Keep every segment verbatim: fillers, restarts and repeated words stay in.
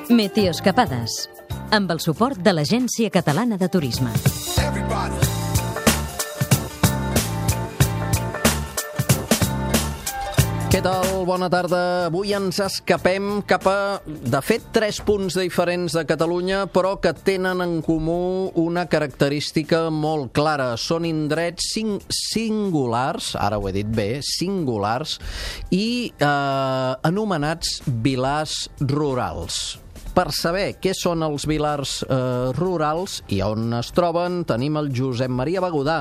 Meteoescapades, amb el suport de l'Agència Catalana de Turisme. Què tal? Bona tarda. Avui ens escapem cap a, de fet, tres punts diferents de Catalunya, però que tenen en comú una característica molt clara. Són indrets sing singulars, ara ho he dit bé, singulars, i eh, anomenats vilars rurals. Per saber què són els vilars eh, rurals i on es troben, tenim el Josep Maria Begudà,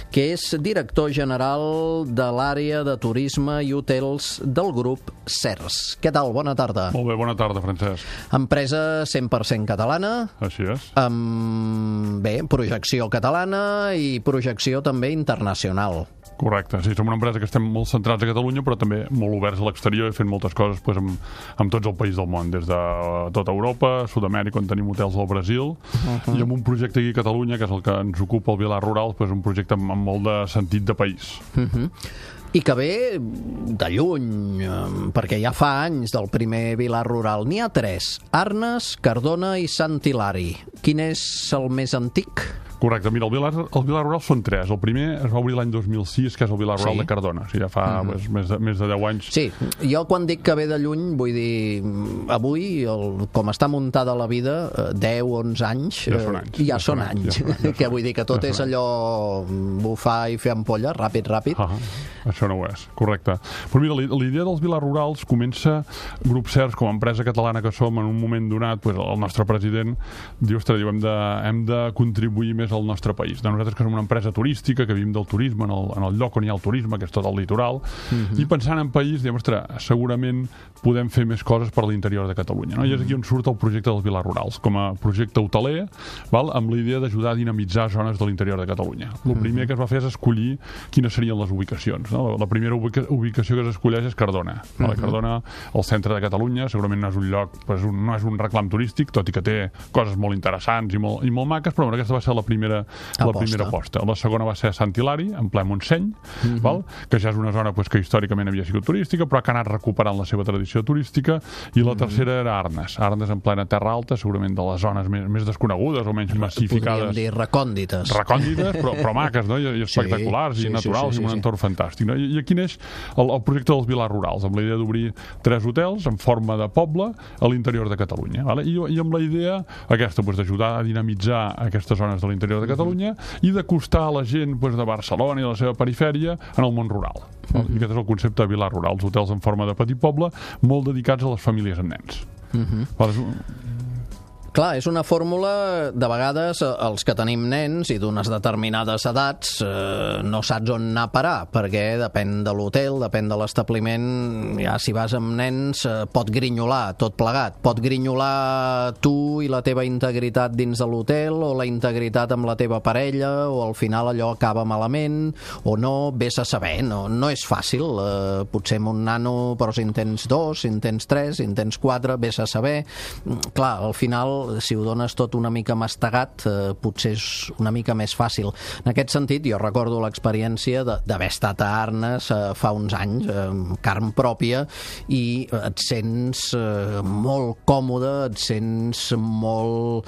que és director general de l'àrea de turisme i hotels del grup Sers. Què tal? Bona tarda. Molt bé, bona tarda, Francesc. Empresa cent per cent catalana. Així és. Amb, bé, projecció catalana i projecció també internacional. Correcte, sí, som una empresa que estem molt centrats a Catalunya, però també molt oberts a l'exterior i fent moltes coses pues, amb, amb tots els països del món, des de tota Europa, Sud-amèrica, on tenim hotels al Brasil, uh-huh. i amb un projecte aquí a Catalunya, que és el que ens ocupa el Vilar Rural, pues, un projecte amb, amb molt de sentit de país. Uh-huh. I que ve de lluny, perquè ja fa anys del primer Vilar Rural. N'hi ha tres: Arnes, Cardona i Sant Hilari. Quin és el més antic? Correcte, mira, el Vilar, el Vilar Rural són tres. El primer es va obrir l'any dos mil sis, que és el Vilar Rural sí. de Cardona. O sigui, ja fa uh-huh. pues, més, de, més de deu anys. Sí, jo quan dic que ve de lluny, vull dir, avui, el, com està muntada la vida, deu, onze anys, ja són anys. Ja, ja són anys. anys. Ja, ja que vull dir que tot ja és allò bufar i fer ampolla, ràpid, ràpid. Uh-huh. Això no ho és, correcte. Però mira, la idea dels Vilars Rurals comença, Grup Sers, com a empresa catalana que som, en un moment donat, pues, el nostre president diu, ostres, diu, hem de, hem de contribuir més al nostre país. De nosaltres que som una empresa turística, que vivim del turisme en el, en el lloc on hi ha el turisme, que és tot el litoral, uh-huh. i pensant en país, diem, ostres, segurament podem fer més coses per l'interior de Catalunya. No? I és aquí on surt el projecte dels Vilars Rurals, com a projecte hoteler, val? Amb la idea d'ajudar a dinamitzar zones de l'interior de Catalunya. El uh-huh. primer que es va fer és escollir quines serien les ubicacions. No? La, la primera ubica ubicació que s'escolleix és Cardona. Uh-huh. Cardona, al centre de Catalunya, segurament no és un lloc, pues, un, no és un reclam turístic, tot i que té coses molt interessants i molt, i molt maques, però bueno, aquesta va ser la primera, la primera aposta. La segona va ser Sant Hilari, en ple Montseny, uh-huh. val? Que ja és una zona pues, que històricament havia sigut turística, però que ha anat recuperant la seva tradició turística, i la uh-huh. tercera era Arnes. Arnes en plena terra alta, segurament de les zones més, més desconegudes o menys massificades. Podríem dir recòndites. Recòndites, però, però maques, no? I, i espectaculars, sí, i naturals, sí, sí, sí, i un sí, entorn sí. fantàstic. No? I, I aquí neix el, el projecte dels Vilars Rurals, amb la idea d'obrir tres hotels en forma de poble a l'interior de Catalunya. Vale? I, I amb la idea aquesta, pues, d'ajudar a dinamitzar aquestes zones de l'interior de Catalunya uh-huh. i d'acostar a la gent pues, de Barcelona i de la seva perifèria en el món rural. Uh-huh. I aquest és el concepte de Vilar Rural, els hotels en forma de petit poble, molt dedicats a les famílies amb nens. Uh-huh. Vale? Clar, és una fórmula, de vegades, els que tenim nens i d'unes determinades edats eh, no saps on anar a parar, perquè depèn de l'hotel, depèn de l'establiment, ja si vas amb nens eh, pot grinyolar tot plegat, pot grinyolar tu i la teva integritat dins de l'hotel, o la integritat amb la teva parella, o al final allò acaba malament, o no, vés a saber, no, no és fàcil, eh, potser amb un nano, però si en tens dos, si en tens tres, si en tens quatre, vés a saber. Clar, al final si ho dones tot una mica mastegat, eh, potser és una mica més fàcil. En aquest sentit, jo recordo l'experiència d'haver estat a Arnes eh, fa uns anys, eh, carn pròpia, i et sents eh, molt còmode, et sents molt,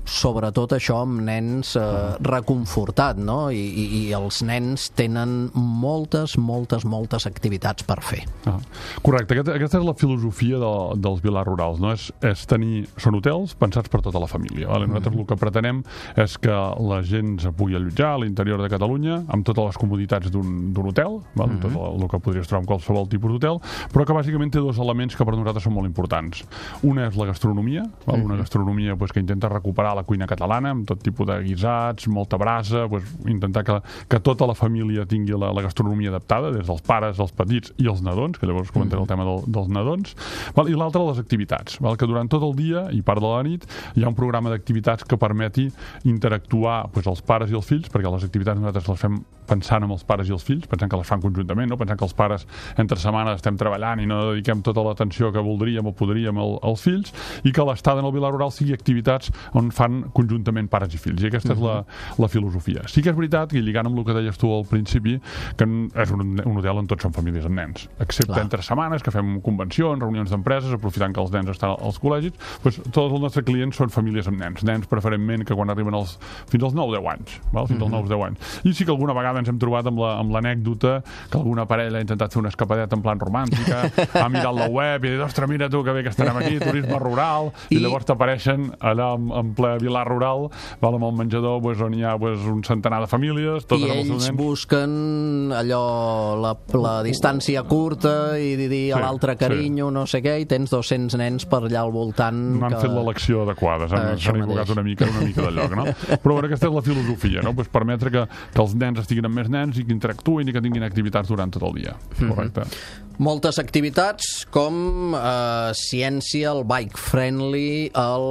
sobretot això amb nens, eh, reconfortat, no? I, i, i els nens tenen moltes, moltes, moltes activitats per fer. Ah, correcte, aquesta, aquesta és la filosofia de, dels Vilars Rurals, no? És, és tenir, són hotels pensats per tota la família. Vale? Nosaltres mm. el que pretenem és que la gent se pugui allotjar a l'interior de Catalunya amb totes les comoditats d'un hotel, vale? Mm. tot el, el que podries trobar en qualsevol tipus d'hotel, però que bàsicament té dos elements que per nosaltres són molt importants. Una és la gastronomia, vale? mm. una gastronomia pues, que intenta recuperar la cuina catalana amb tot tipus de guisats, molta brasa, pues, intentar que, que tota la família tingui la, la gastronomia adaptada, des dels pares, els petits i els nadons, que llavors comentaré mm. el tema del, dels nadons, vale? I l'altre les activitats, vale? Que durant tot el dia i part de la nit hi ha un programa d'activitats que permeti interactuar pues, els pares i els fills, perquè les activitats nosaltres les fem pensant en els pares i els fills, pensant que les fan conjuntament, no? Pensant que els pares entre setmanes estem treballant i no dediquem tota l'atenció que voldríem o podríem al, als fills, i que l'estada en el Vilar Rural sigui activitats on on fan conjuntament pares i fills, i aquesta uh-huh. és la, la filosofia. Sí que és veritat, i lligant amb el que deies tu al principi, que és un, un hotel on tots són famílies amb nens, excepte Clar. entre setmanes, que fem convencions, reunions d'empreses, aprofitant que els nens estan als col·legis, doncs tots els nostres clients són famílies amb nens, nens preferentment que quan arriben als, fins als nou deu anys, val? fins als nou deu anys. I sí que alguna vegada ens hem trobat amb la, amb l'anècdota que alguna parella ha intentat fer una escapadeta en plan romàntica, ha mirat la web i ha dit, ostres, mira tu que bé que estarem aquí, turisme rural, i, i llavors t'apareixen allà en, en ple Vilar Rural, val, amb el menjador pues, on hi ha pues, un centenar de famílies, totes i ells busquen allò, la, la distància curta i dir a sí, l'altre carinyo, sí. no sé què, i tens dos-cents nens per allà al voltant. No han que... fet l'elecció adequada, s'han equivocat una mica, una mica de lloc, no? Però bueno, aquesta és la filosofia, no? Pues permetre que, que els nens estiguin amb més nens i que interactuïn i que tinguin activitats durant tot el dia. Correcte. Mm-hmm. Moltes activitats com eh, ciència, el bike friendly, el...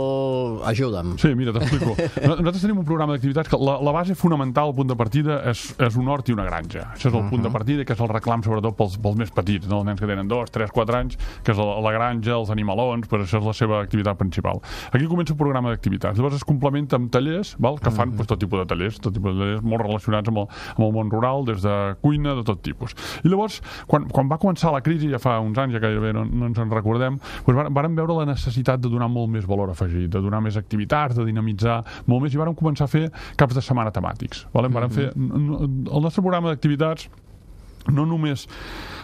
Ajuda'm. Sí, mira, t'explico. Nosaltres tenim un programa d'activitats que la, la base fonamental, el punt de partida, és, és un hort i una granja. Això és el uh-huh. punt de partida, que és el reclam sobretot pels, pels més petits, no? Els nens que tenen dos, tres, quatre anys, que és la, la granja, els animalons, però això és la seva activitat principal. Aquí comença un programa d'activitats. Llavors es complementa amb tallers, val? Que fan uh-huh. pues, tot tipus de tallers, tot tipus de tallers molt relacionats amb el, amb el món rural, des de cuina, de tot tipus. I llavors, quan, quan va començar la crisi, ja fa uns anys, ja gairebé no, no ens en recordem, doncs vàrem veure la necessitat de donar molt més valor afegit, de donar més activitats, de dinamitzar molt més, i vàrem començar a fer caps de setmana temàtics. Vale? Vàrem fer, el nostre programa d'activitats no només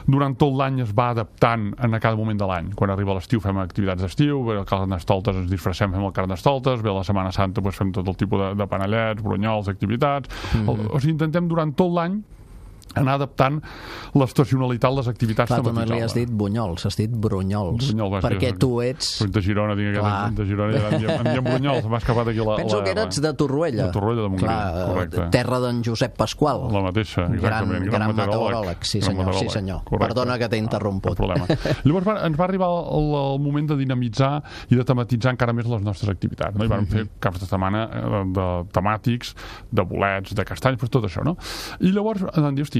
durant tot l'any es va adaptant a cada moment de l'any. Quan arriba l'estiu fem activitats d'estiu, ve el Carnestoltes ens disfressem, fem el Carnestoltes, ve la Setmana Santa doncs fem tot el tipus de, de panellets, brunyols, activitats. Mm-hmm. O sigui, intentem durant tot l'any anar adaptant l'estacionalitat, les activitats tematitzades. Clar, tu no li has dit bunyols, has dit brunyols. Brunyol, vas, perquè tu ets... Soc de Girona, tinc aquest de Girona, i ara em diem, em diem brunyols, m'ha escapat aquí la... Penso la, que eres de Torroella. De Torroella de Montgrí, clar, correcte. Terra d'en Josep Pasqual. La mateixa, exactament. Gran, gran meteoròleg, sí senyor, meteoròleg. sí senyor. Correcte. Perdona que t'he interromput. No problema. Llavors va, ens va arribar el, el moment de dinamitzar i de tematitzar encara més les nostres activitats. No? I vam mm-hmm. fer caps de setmana de temàtics, de bolets, de castanys, però tot això, no? I llavors vam dir, hosti,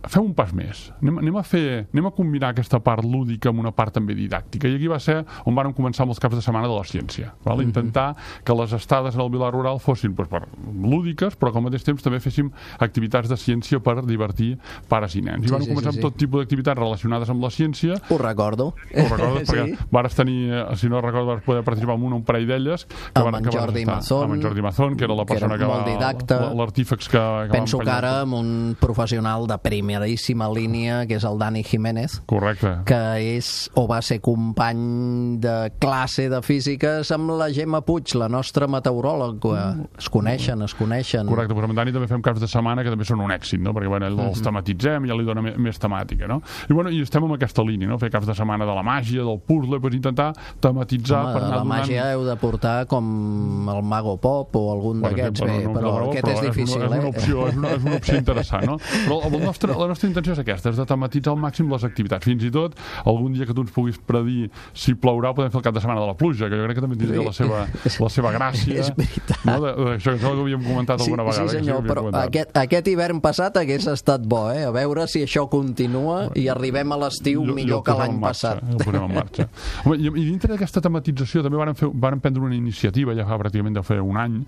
fem un pas més. Anem, anem a fer, anem a combinar aquesta part lúdica amb una part també didàctica. I aquí va ser on vàrem començar amb els caps de setmana de la ciència. Val? Intentar que les estades en el Vilar Rural fossin doncs, per lúdiques, però que al mateix temps també féssim activitats de ciència per divertir pares i nens. I sí, vam sí, començar sí, amb tot sí. tipus d'activitats relacionades amb la ciència. Ho recordo. Ho recordo, perquè sí. vares tenir, si no recordo, vas poder participar en un, un parell d'elles. Que amb en Jordi Mazón. Amb en Jordi Mazón, que era la persona que, que va... L'artífex que, que penso que ara amb un professional de prim primeríssima línia, que és el Dani Jiménez. Correcte. Que és, o va ser company de classe de físiques amb la Gemma Puig, la nostra meteoròloga. Es coneixen, es coneixen. Correcte, però amb Dani també fem caps de setmana que també són un èxit, no? Perquè bueno, els tematitzem i ja li dona més temàtica, no? I bueno, i estem en aquesta línia, no? Fer caps de setmana de la màgia, del puzzle, per intentar tematitzar. Home, per anar la donant... màgia heu de portar com el Mago Pop o algun d'aquests, bé, no, però no, aquest però és difícil, és una, és una opció, eh? És una, és una opció interessant, no? Però el nostre, la nostra intenció és aquesta, és de tematitzar al màxim les activitats. Fins i tot, algun dia que tu ens puguis predir si plourà, podem fer el cap de setmana de la pluja, que jo crec que també tindria sí. la, seva, la seva gràcia. És veritat. No? De, de, això, això ho havíem comentat sí, alguna vegada. Sí, senyor, sí, però aquest, aquest hivern passat hagués estat bo, eh? A veure si això continua i arribem a l'estiu millor que l'any passat. El posem en marxa. Home, i, I dintre d'aquesta tematització també vàrem, fer, vàrem prendre una iniciativa, ja fa pràcticament de fer un any,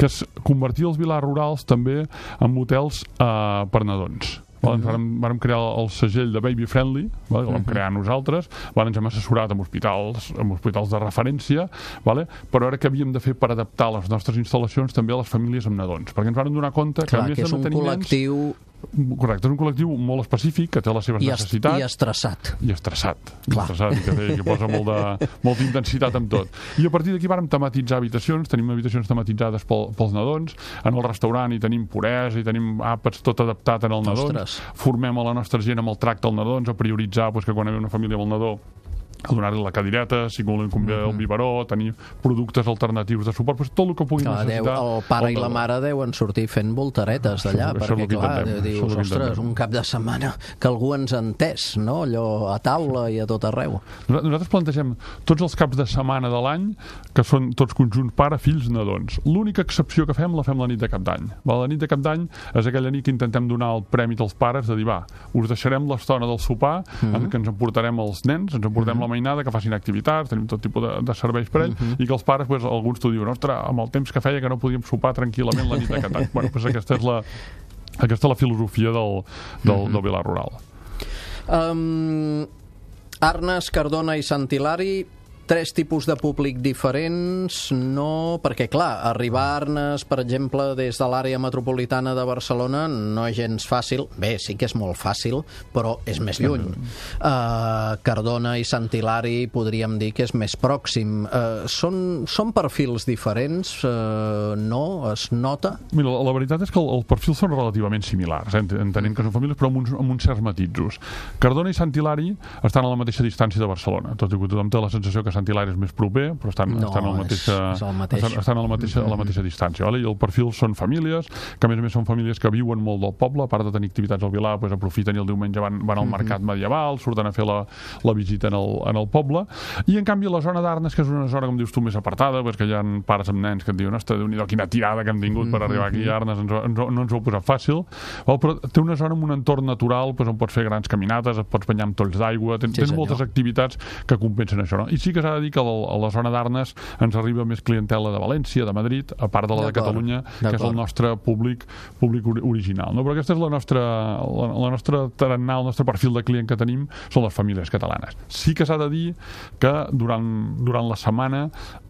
que és convertir els vilars rurals també en hotels eh, per nadons. Vale, ens vàrem, vàrem crear el segell de Baby Friendly, vale, que vam crear nosaltres, vale, ens hem assessorat amb hospitals, amb hospitals de referència, vale, però ara que havíem de fer per adaptar les nostres instal·lacions també a les famílies amb nadons, perquè ens vàrem donar compte que clar, a més que és de no un tenir col·lectiu... nens... Correcte, és un col·lectiu molt específic, que té les seves I necessitats. I estressat. I estressat. Clar. I estressat, i que, té, que posa molt de, molta intensitat amb tot. I a partir d'aquí vàrem tematitzar habitacions, tenim habitacions tematitzades pel, pels nadons, en el restaurant hi tenim puresa, hi tenim àpats tot adaptat en el nadons. Ostres. Formem a la nostra gent amb el tracte als nadons, a prioritzar doncs, que quan hi ha una família amb el nadó a donar-li la cadireta, si volen convidar el biberó, tenir productes alternatius de suport, pues tot el que puguin clar, necessitar. Deu, el pare i la mare deuen sortir fent voltaretes d'allà, això, perquè això clar, dius, ostres, un cap de setmana que algú ens ha entès, no? Allò a taula i a tot arreu. Nosaltres plantegem tots els caps de setmana de l'any, que són tots conjunts pare, fills, nadons. L'única excepció que fem la fem la nit de cap d'any. La nit de cap d'any és aquella nit que intentem donar el prèmit als pares de dir, va, us deixarem l'estona del sopar, mm-hmm. en què ens emportarem els nens, ens emportarem mm-hmm. la mainada, que facin activitats, tenim tot tipus de, de serveis per ell, uh-huh. i que els pares, pues, alguns t'ho diuen, ostres, amb el temps que feia que no podíem sopar tranquil·lament la nit de Catan. Bueno, pues aquesta és la, aquesta és la filosofia del, del, uh-huh. del Vilar Rural. Um, Arnes, Cardona i Sant Hilari, tres tipus de públic diferents, no... Perquè, clar, arribar a Arnes, per exemple, des de l'àrea metropolitana de Barcelona no és gens fàcil. Bé, sí que és molt fàcil, però és més lluny. Uh, Cardona i Sant Hilari podríem dir que és més pròxim. Uh, són, són perfils diferents? Uh, no? Es nota? Mira, la, la veritat és que el, els perfils són relativament similars, eh? entenent que són famílies, però amb uns, amb uns certs matisos. Cardona i Sant Hilari estan a la mateixa distància de Barcelona, tot i que tothom té la sensació que Sant Hilari és més proper, però estan, no, estan, a la mateixa, és, és mateix. estan, estan a la mateixa, a la mateixa distància. Vale? I el perfil són famílies, que a més a més són famílies que viuen molt del poble, a part de tenir activitats al Vilar, pues, aprofiten i el diumenge van, van al mercat medieval, surten a fer la, la visita en el, en el poble, i en canvi la zona d'Arnes, que és una zona, com dius tu, més apartada, pues, que hi ha pares amb nens que et diuen, ostres, Déu-n'hi-do, quina tirada que hem tingut per arribar aquí a Arnes, ens, ens, no ens ho ha posat fàcil, val? Però té una zona amb un entorn natural, pues, on pots fer grans caminades, et pots banyar amb tolls d'aigua, tens, sí, tens moltes activitats que compensen això. No? I sí que s'ha de dir que a la zona d'Arnes ens arriba més clientela de València, de Madrid, a part de la de Catalunya, que és el nostre públic, públic original. No? Però aquesta és la nostra, la, la nostra tarannà, el nostre perfil de client que tenim, són les famílies catalanes. Sí que s'ha de dir que durant, durant la setmana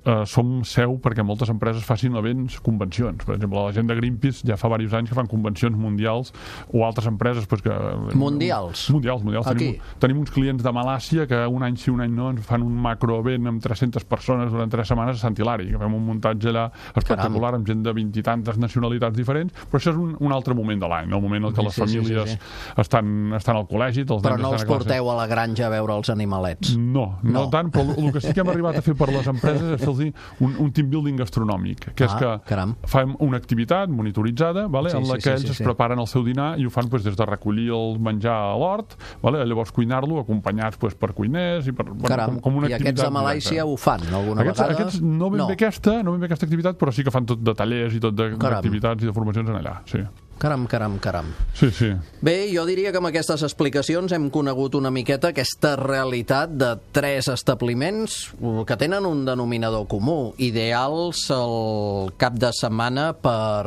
eh, som seu perquè moltes empreses facin events, convencions. Per exemple, la gent de Greenpeace ja fa diversos anys que fan convencions mundials, o altres empreses pues, que... Mundials? Mundials, mundials. Tenim, tenim uns clients de Malàcia que un any sí, un any no, ens fan un macroevent amb tres-centes persones durant tres setmanes a Sant Hilari, que fem un muntatge allà espectacular, Caram. amb gent de vint i tantes nacionalitats diferents, però això és un, un altre moment de l'any, no? El moment en què les sí, famílies sí, sí, sí. Estan, estan al col·legi, els però nens no els estan a porteu a la granja a veure els animalets? No, no, no tant, però el que sí que hem arribat a fer per les empreses és fer-los un, un team building gastronòmic, que és ah, que caram. fem una activitat monitoritzada, vale, sí, en la sí, que ells sí, sí, es preparen el seu dinar i ho fan pues, des de recollir el menjar a l'hort, vale, llavors cuinar-lo acompanyats pues, per cuiners i per, bueno, com, com una I activitat. I aquests de Malàisia ho fan alguna aquests, vegada? Aquests no ben, no. Bé aquesta, no ben bé aquesta activitat, però sí que fan tot de tallers i tot d'activitats i de formacions en allà, sí. Caram, caram, caram. Sí, sí. Bé, jo diria que amb aquestes explicacions hem conegut una miqueta aquesta realitat de tres establiments que tenen un denominador comú, ideals el cap de setmana per...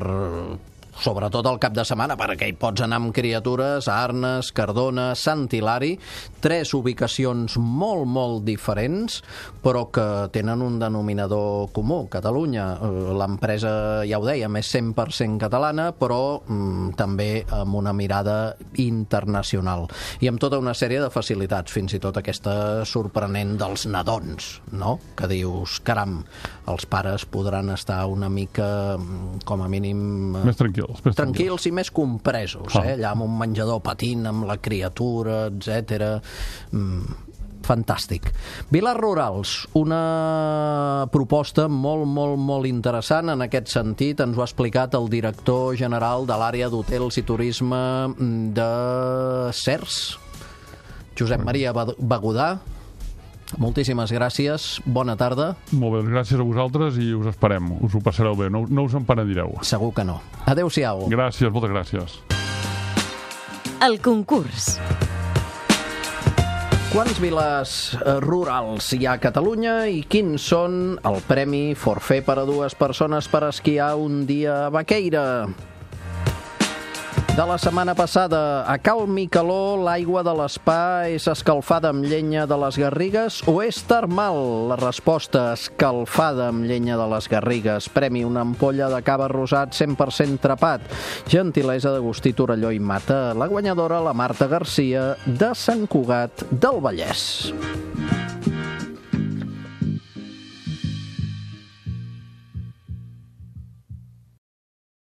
sobretot el cap de setmana, perquè hi pots anar amb criatures a Arnes, Cardona, Sant Hilari, tres ubicacions molt, molt diferents, però que tenen un denominador comú. Catalunya, l'empresa, ja ho dèiem, és cent per cent catalana, però mm, també amb una mirada internacional. I amb tota una sèrie de facilitats, fins i tot aquesta sorprenent dels nadons, no? Que dius, caram, els pares podran estar una mica, com a mínim... Més tranquils. Més tranquils i més compresos, eh? Allà amb un menjador patint amb la criatura, etcètera. Mm, fantàstic. Vilars Rurals, una proposta molt, molt, molt interessant en aquest sentit. Ens ho ha explicat el director general de l'àrea d'hotels i turisme de Cercs, Josep Maria Begudà. Moltíssimes gràcies, bona tarda. Molt bé, gràcies a vosaltres i us esperem, us ho passareu bé, no, no us en penedireu. Segur que no. Adéu-siau. Gràcies, moltes gràcies. El concurs. Quants vilars rurals hi ha a Catalunya i quins són el premi forfait per a dues persones per esquiar un dia a Baqueira? De la setmana passada, a Cal Micaló, l'aigua de l'Spa és escalfada amb llenya de les Garrigues o és termal? La resposta, escalfada amb llenya de les Garrigues. Premi una ampolla de cava rosat cent per cent trapat. Gentilesa d'Agustí Torelló i Mata. La guanyadora, la Marta Garcia, de Sant Cugat del Vallès.